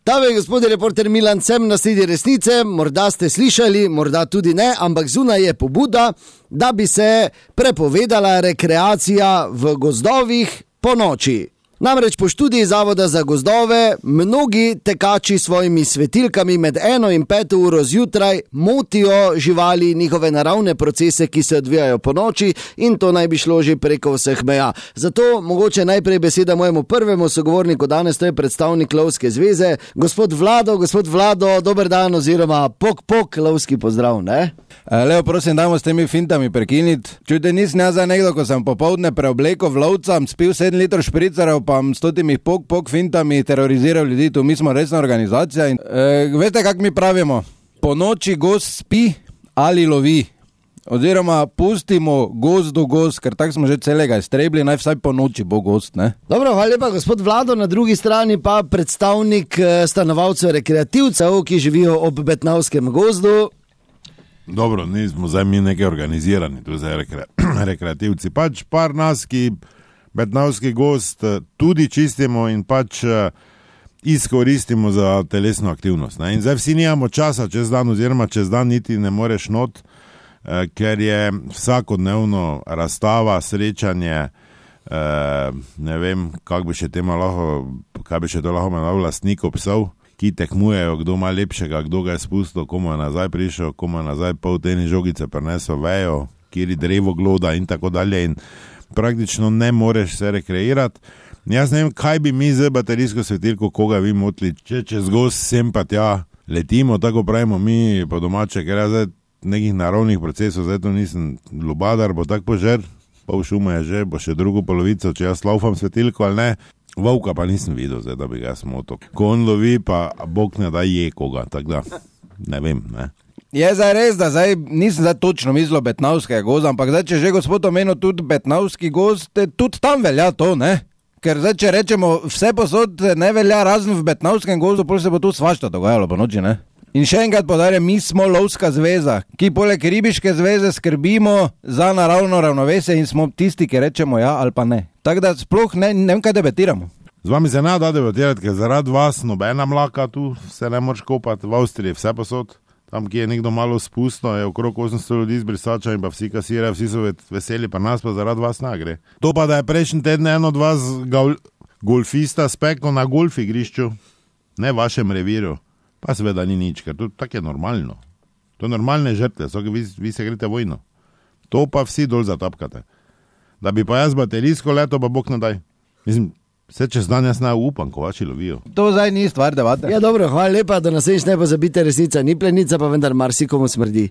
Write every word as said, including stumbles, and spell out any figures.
Dame in gospodje, reporter Milan, sem na sledi resnice, morda ste slišali, morda tudi ne, ampak zunaj je pobuda, da bi se prepovedala rekreacija v gozdovih po noči. Namreč po študiji Zavoda za gozdove mnogi tekači s svojimi svetilkami med eno in peto uro zjutraj motijo živali, njihove naravne procese, ki se odvijajo po noči, in to naj bi šlo že preko vseh meja. Zato mogoče najprej beseda mojemu prvemu sogovorniku danes, to je predstavnik Lovske zveze, gospod Vlado. Gospod Vlado, dober dan oziroma pok pok, lovski pozdrav, ne? Leo, prosim, dajmo s temi fintami prekiniti. Čujte, nisem jaz za nekdo, ko sem popoldne preobleko v lovca, spil sedem litrov špricarjev, pa s totimi pok pok fintami teroriziral ljudi, tu mi smo resna organizacija. In, e, veste, kak mi pravimo? Po noči gost spi ali lovi. Oziroma pustimo gozdu gost, ker tako smo že celega iztrebili, naj vsaj po noči bo gost, ne? Dobro, hvala lepa, gospod Vlado, na drugi strani pa predstavnik stanovalcev rekreativcev, ki živijo ob Betnavskem gozdu. Dobro, nismo zdaj mi nekaj organizirani, tu zdaj rekre, rekreativci. Pač par nas, ki Betnavski gozd tudi čistimo in pač izkoristimo za telesno aktivnost, ne? In zdaj vsi nijamo časa čez dan, oziroma čez dan niti ne moreš not, ker je vsakodnevno razstava, srečanje, ne vem, kak bi še tema lahko, kaj bi še to lahko imenoval, lastnikov psov, ki tekmujejo, kdo ima lepšega, kdo ga je spustil, komu je nazaj prišel, komu je nazaj pol teni žogice prinesel vejo, kjer drevo gloda in tako dalje, in praktično ne moreš se rekreirati. Jaz ne vem, kaj bi mi z baterijsko svetilko, koga vi motili, če čez gost sem pa tja letimo, tako pravimo mi po domače, ker jaz zdaj nekih naravnih procesov, zdaj to nisem lubadar, bo tak požer, pol šuma je že, bo še drugo polovico, če jaz laufam svetilko ali ne. Volka pa nisem videl, zdaj, da bi ga smotil. Ko on lovi, pa Bog ne da je koga, tako da ne vem, ne. Je zdaj res, da zdaj nisem zdaj točno mislil Betnavskega gozda, ampak zdaj, če že gospod omenil tudi Betnavski gozd, tudi tam velja to, ne? Ker zdaj, če rečemo, vse posod ne velja, razen v Betnavskem gozdu, potem se bo tu svašta dogajalo po noči, ne? In še enkrat podarjam, mi smo Lovska zveza, ki poleg ribiške zveze skrbimo za naravno ravnovesje in smo tisti, ki rečemo ja ali pa ne. Tako da sploh ne, ne vem, kaj debatiramo. Z vami se ne da debatirati, ker zaradi vas nobena mlaka tu se ne moreš kopati, v Avstriji vse posod. Tam, ki je nekdo malo spustno, je okrog osemsto ljudi z brisača in pa vsi kasirajo, vsi so veseli, pa nas pa zaradi vas ne gre. To pa, da je prejšnji teden eno od vas gol, golfista speklo na golf igrišču, ne vašem reviru, pa seveda ni nič, ker to tako je normalno. To je normalne žrtve, so, vi, vi se greste vojno. To pa vsi dol zatapkate. Da bi pa jaz baterijsko leto, pa Bog ne daj. Mislim, vse čez dan jaz ne upam, ko vaši lovijo. To zdaj ni stvar debate. Ja, dobro, hvala lepa, da nas ne pozabite, resnica ni plenica, pa vendar marsikomu smrdi.